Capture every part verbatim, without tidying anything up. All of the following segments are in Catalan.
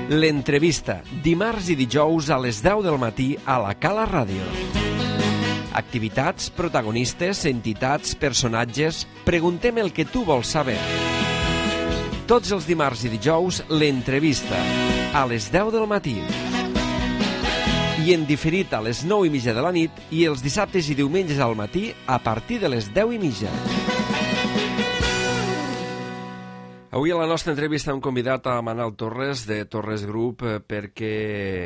L'entrevista, dimarts i dijous a les deu del matí a la Cala Ràdio. Activitats, protagonistes, entitats, personatges... Preguntem el que tu vols saber. Tots els dimarts i dijous, l'entrevista, a les deu del matí. I en diferit a les nou i mitja de la nit i els dissabtes i diumenges al matí a partir de les deu i mitja. Avui a la nostra entrevista hem convidat a Manel Torres de Torres Group perquè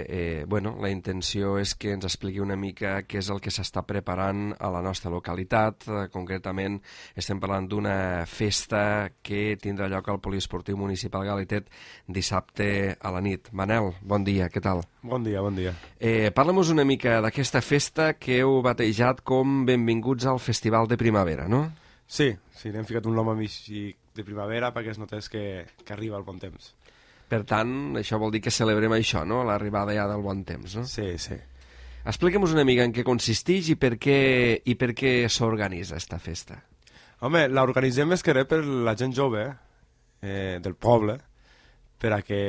eh, bueno, la intenció és que ens expliqui una mica què és el que s'està preparant a la nostra localitat. Eh, concretament estem parlant d'una festa que tindrà lloc al Poliesportiu Municipal Galitet dissabte a la nit. Manel, bon dia, què tal? Bon dia, bon dia. Eh, Parla'm una mica d'aquesta festa que heu batejat com Benvinguts al Festival de Primavera, no? Sí, sí, n'hem ficat un nom a mig de primavera perquè es notés que, que arriba el bon temps. Per tant, això vol dir que celebrem això, no? L'arribada ja del bon temps, no? Sí, sí. Explica'm una mica en què consisteix i per què, i per què s'organitza esta festa. Home, l'organitzem més que res per la gent jove eh, del poble, per a que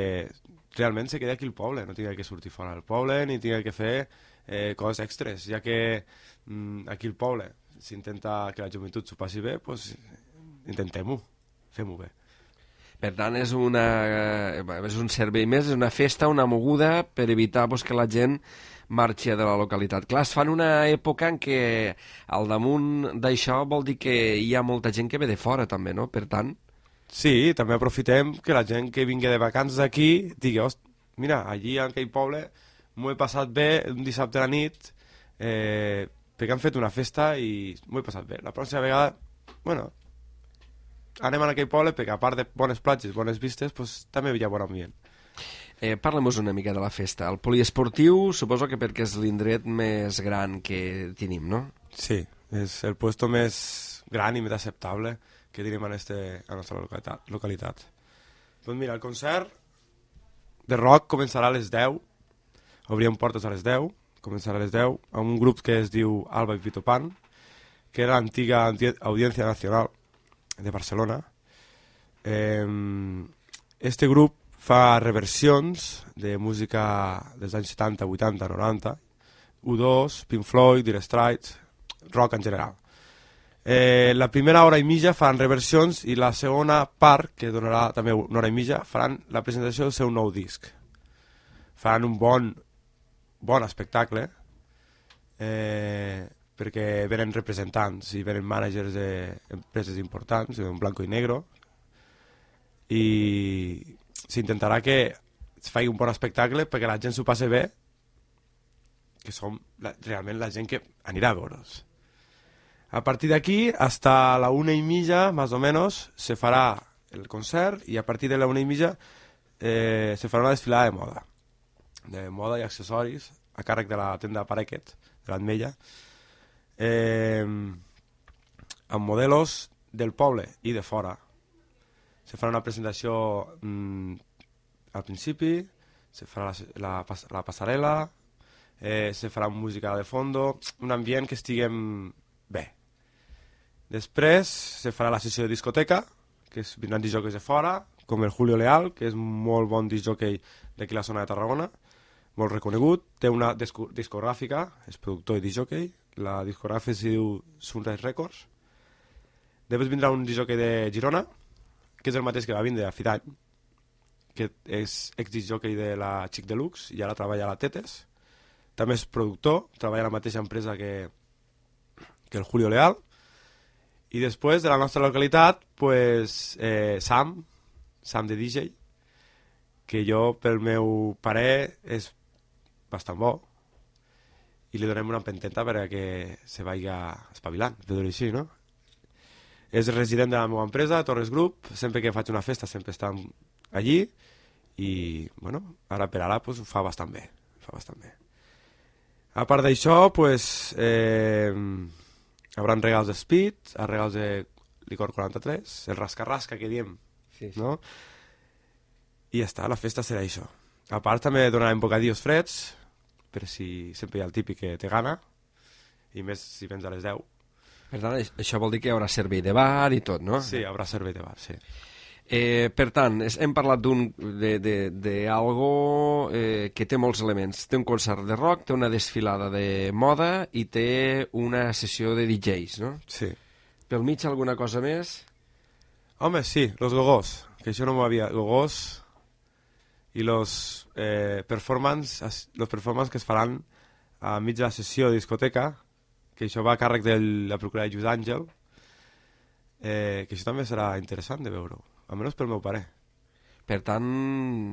realment se quedi aquí al poble, no tingui que sortir fora del poble ni tingui que fer eh, coses extres, ja que mm, aquí al poble s'intenta que la joventut s'ho passi bé, doncs intentem-ho, fem-ho bé. Per tant, és, una, és un servei més, és una festa, una moguda per evitar pues, que la gent marxi de la localitat. Clar, es fa en una època en què al damunt d'això vol dir que hi ha molta gent que ve de fora també, no? Per tant... Sí, també aprofitem que la gent que vingui de vacances aquí digui, host, mira, allí en aquell poble m'ho he passat bé un dissabte a la nit, eh, perquè han fet una festa i m'ho he passat bé. La pròxima vegada, bueno, anem a aquell poble perquè a part de bones platges, bones vistes, pues, també hi ha bon ambient. Eh, Parla-mos una mica de la festa. El poliesportiu suposo que perquè és l'indret més gran que tenim, no? Sí, és el puesto més gran i més acceptable que tenim en, este, en la nostra localitat. localitat. Doncs mira, el concert de rock començarà a les deu, obrirem portes a les deu, començarà a les deu, amb un grup que es diu Alba i Pito Pan, que era l'antiga Audiència Nacional de Barcelona. Eh, este grup fa reversions de música dels anys setanta, vuitanta, noranta, U dos, Pink Floyd, Dire Straits, rock en general. Eh, la primera hora i mitja faran reversions i la segona part, que donarà també una hora i mitja, faran la presentació del seu nou disc. Faran un bon bon espectacle, eh, perquè venen representants i venen managers d'empreses importants, en blanco i negro, i s'intentarà que es faci un bon espectacle perquè la gent s'ho passi bé, que som la, realment la gent que anirà a veure'ls. A partir d'aquí, hasta la una i mitja, més o menys, se farà el concert i a partir de la una i mitja eh, se farà una desfilada de moda. de moda i accessoris a càrrec de la tenda Parequet, de l'Atmella, eh, amb modelos del poble i de fora. Se farà una presentació mm, al principi, se farà la, la, la passarel·la, eh, se farà música de fondo, un ambient que estiguem bé. Després se farà la sessió de discoteca, que es vindran disjòqueis de fora, com el Julio Leal, que és molt bon disjòquei d'aquí a la zona de Tarragona, molt reconegut, té una disco discogràfica, és productor i disjockey, la discogràfica es diu Sunrise Records. Després vindrà un disjockey de Girona, que és el mateix que va vindre a Fidany, que és ex-disjockey de la Chic Deluxe i ara treballa a la Tetes. També és productor, treballa a la mateixa empresa que, que el Julio Leal. I després de la nostra localitat, pues, eh, Sam, Sam de D J, que jo, pel meu parer, és bastant bo i li donem una empenteta perquè se vagi espavilant, per dir-ho així, no? És resident de la meva empresa, Torres Group, sempre que faig una festa sempre estan allí i, bueno, ara per ara pues, ho fa bastant bé, fa bastant bé. A part d'això, pues, eh, hi haurà regals de Speed, regals de licor quaranta-tres, el rasca-rasca que diem, sí, sí. No? I ja està, la festa serà això. A part també donarem bocadillos freds, per si sempre hi ha el típic que té gana, i més si vens a les deu. Per tant, això vol dir que hi haurà servei de bar i tot, no? Sí, hi haurà servei de bar, sí. Eh, per tant, és, hem parlat d'un d'algo eh, que té molts elements. Té un concert de rock, té una desfilada de moda i té una sessió de D Js, no? Sí. Pel mig alguna cosa més? Home, sí, los gogós, que això no m'ho havia... Gogós i los eh, performance, los performance que es faran a mig de la sessió de discoteca, que això va a càrrec de la procurada Lluís Àngel, eh, que això també serà interessant de veure-ho. Almenys pel meu pare. Per tant,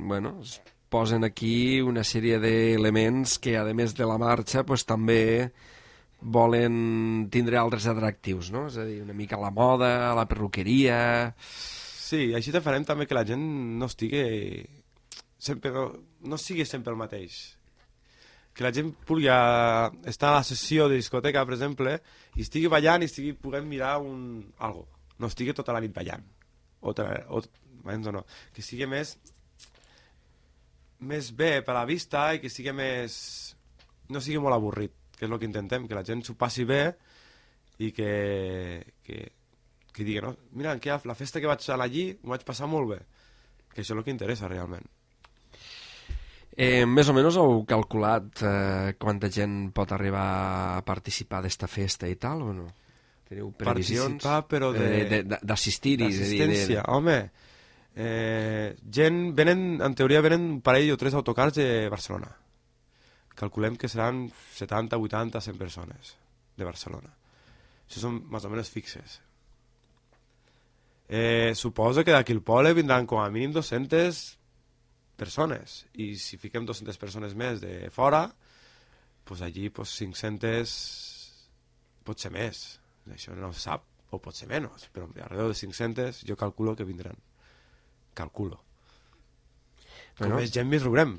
bueno, es posen aquí una sèrie d'elements que, a més de la marxa, pues, també volen tindre altres atractius, no? És a dir, una mica la moda, la perruqueria... Sí, així te farem també que la gent no estigui sempre, no, no sigui sempre el mateix. Que la gent pugui estar a la sessió de discoteca, per exemple, i estigui ballant i estigui puguem mirar un... algo. No estigui tota la nit ballant. O, o, o no, que sigui més més bé per a la vista i que sigui més no sigui molt avorrit, que és el que intentem, que la gent s'ho passi bé i que que, que digui, no? Mira, que la festa que vaig anar allí m'ho vaig passar molt bé, que això és el que interessa realment. Eh, més o menys heu calculat eh, quanta gent pot arribar a participar d'esta festa i tal, o no? Teniu previsions? Participar, però de... d'assistir-hi. D'assistència, de, de... home. Eh, gent, venen, en teoria venen un parell o tres autocars de Barcelona. Calculem que seran setanta, vuitanta, cent persones de Barcelona. Això són més o menys fixes. Eh, suposo que d'aquí al poble vindran com a mínim dues-centes persones. I si fiquem dues-centes persones més de fora, pues allí pues cinc-centes pot ser més. Això no se sap, o pot ser menys, però alrededor de cinc-centes jo calculo que vindran. Calculo. Com bueno, més gent més riurem,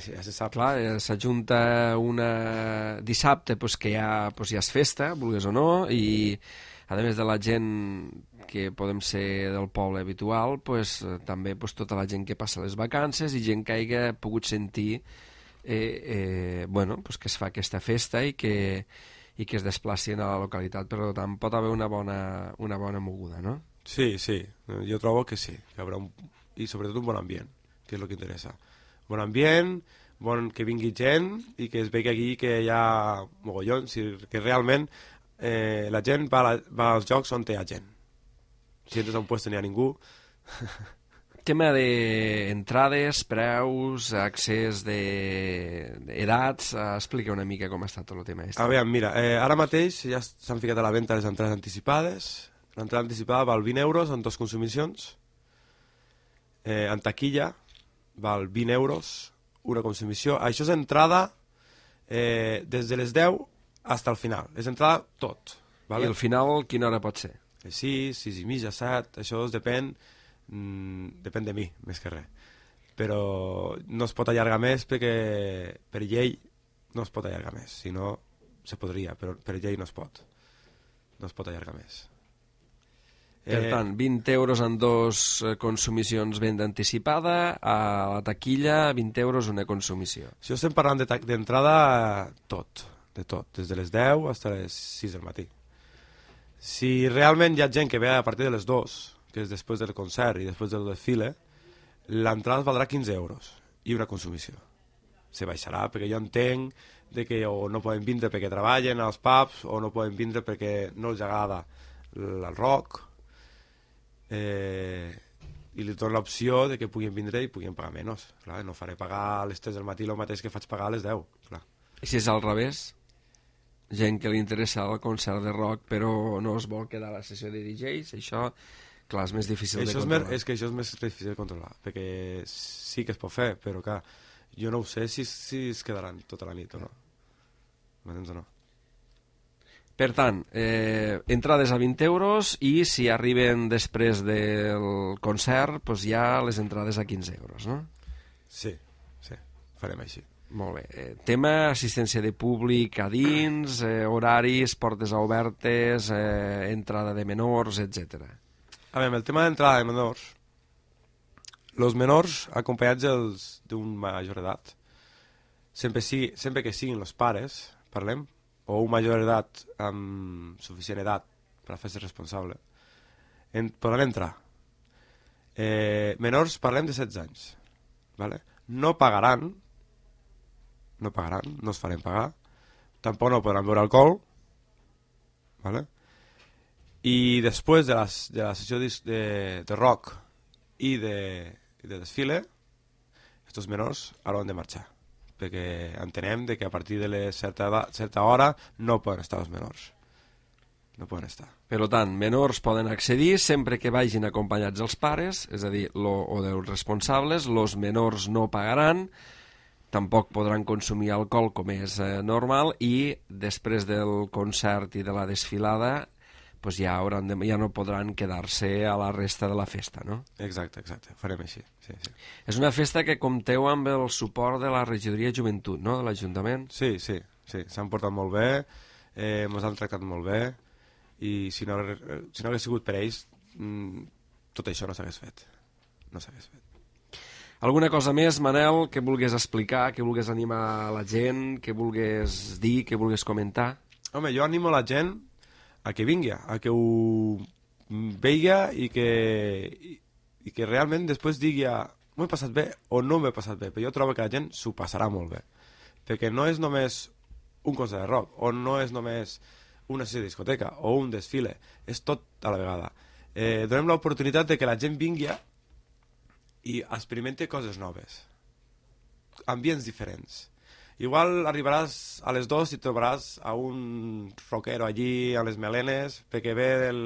ja se sap. Clar, s'ajunta una dissabte pues, que ja, pues, ja és festa, vulguis o no, i a més de la gent que podem ser del poble habitual, pues, també pues, tota la gent que passa les vacances i gent que hagi pogut sentir eh, eh, bueno, pues, que es fa aquesta festa i que i que es desplacin a la localitat, per tant pot haver una bona, una bona moguda, no? Sí, sí, jo trobo que sí, que haurà un, i sobretot un bon ambient, que és el que interessa. Bon ambient, bon, que vingui gent i que es vegi aquí que hi ha mogollons, que realment eh, la gent va, la, va als jocs on hi ha gent. Si entres a un lloc no hi ha ningú... Tema d'entrades, preus, accés d'edats, de, explica una mica com està tot el tema. A veure, mira, eh, ara mateix ja s'han ficat a la venda les entrades anticipades. L'entrada anticipada val vint euros en dues consumicions. Eh, en taquilla val vint euros una consumició. Això és entrada eh, des de les deu fins al final. És entrada tot. Vale? I el final quina hora pot ser? sis, sis i mitja, set, això depèn... Mm, depèn de mi, més que res, però no es pot allargar més perquè per llei no es pot allargar més, si no se podria, però per llei no es pot no es pot allargar més. Per eh... tant, vint euros en dos consumicions venda anticipada, a la taquilla vint euros una consumició. Si estem parlant d'entrada tot, de tot, des de les deu fins a les sis del matí. Si realment hi ha gent que ve a partir de les dues, que és després del concert i després del desfile, l'entrada valdrà quinze euros i una consumició. Se baixarà perquè jo entenc de que o no poden vindre perquè treballen als pubs o no poden vindre perquè no els agrada el rock, eh, i li dono l'opció de que puguin vindre i puguin pagar menys. Clar, no faré pagar a les tres del matí el mateix que faig pagar a les deu. Clar. I si és al revés? Gent que li interessa el concert de rock però no es vol quedar a la sessió de D Js, això... Clar, és més difícil això de controlar. És, és que això és més difícil de controlar, perquè sí que es pot fer, però clar, jo no ho sé si, si es quedaran tota la nit o no. M'entens o no? Per tant, eh, entrades a vint euros i si arriben després del concert, doncs ja les entrades a quinze euros, no? Sí, sí, farem així. Molt bé. Eh, tema assistència de públic a dins, eh, horaris, portes obertes, eh, entrada de menors, etcètera. A veure, el tema d'entrada de menors, els menors acompanyats d'un major d'edat, sempre, sigui, sempre que siguin els pares, parlem, o un major d'edat amb suficient edat per a fer-se responsable, en, poden entrar. Eh, menors, parlem de setze anys. Vale? No pagaran, no pagaran, no es farem pagar, tampoc no podran beure alcohol, vale? I després de la, de la sessió de, de, de rock i de, de desfile, estos menors hauran de marxar, perquè entenem de que a partir de la certa, edat, certa hora no poden estar els menors. No poden estar. Per tant, menors poden accedir sempre que vagin acompanyats dels pares, és a dir, lo, o dels responsables, els menors no pagaran, tampoc podran consumir alcohol com és eh, normal, i després del concert i de la desfilada pues ja, hauran de, ja no podran quedar-se a la resta de la festa, no? Exacte, exacte, farem així. Sí, sí. És una festa que compteu amb el suport de la regidoria de joventut, no?, de l'Ajuntament? Sí, sí, sí, s'han portat molt bé, eh, ens han tractat molt bé, i si no, si no hagués sigut per ells, mmm, tot això no s'hagués fet. No s'hagués fet. Alguna cosa més, Manel, que vulguis explicar, que vulguis animar la gent, que vulguis dir, que vulguis comentar? Home, jo animo la gent a que vingui, a que ho veiga i que, i, i que realment després digui m'ho he passat bé o no m'he passat bé, però jo trobo que la gent s'ho passarà molt bé, perquè no és només un concert de rock, o no és només una sessió de discoteca o un desfile, és tot a la vegada. Eh, donem l'oportunitat de que la gent vingui i experimente coses noves, ambients diferents. Igual arribaràs a les dues i trobaràs a un rockero allí a les melenes perquè ve del...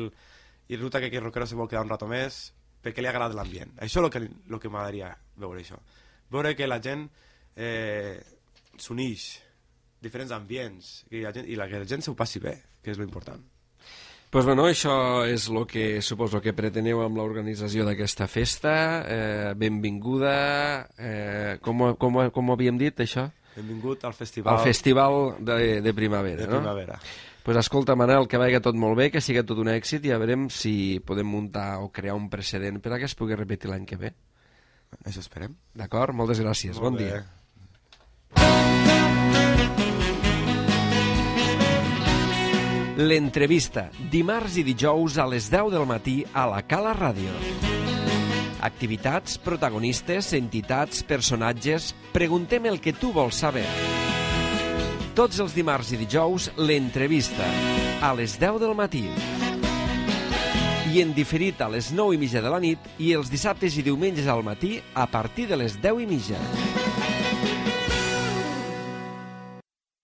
i resulta que aquell rockero se vol quedar un rato més perquè li agrada l'ambient. Això és el que, el que m'agradaria veure, això. Veure que la gent eh, s'uneix, diferents ambients, i la gent, i la, que la gent s'ho passi bé, que és l'important. Pues bueno, això és el que suposo que preteneu amb l'organització d'aquesta festa. Eh, benvinguda. Eh, com, com, com ho havíem dit, això? Benvingut al festival... Al festival de, de primavera, de no? primavera. Pues escolta, Manel, que vagi tot molt bé, que sigui tot un èxit, i ja veurem si podem muntar o crear un precedent per a que es pugui repetir l'any que ve. Això esperem. D'acord? Moltes gràcies. Molt bon bé. dia. L'entrevista, dimarts i dijous a les deu del matí a la Cala Ràdio. Activitats, protagonistes, entitats, personatges... Preguntem el que tu vols saber. Tots els dimarts i dijous, l'entrevista, a les deu del matí. I en diferit a les nou i mitja de la nit i els dissabtes i diumenges al matí a partir de les deu i mitja.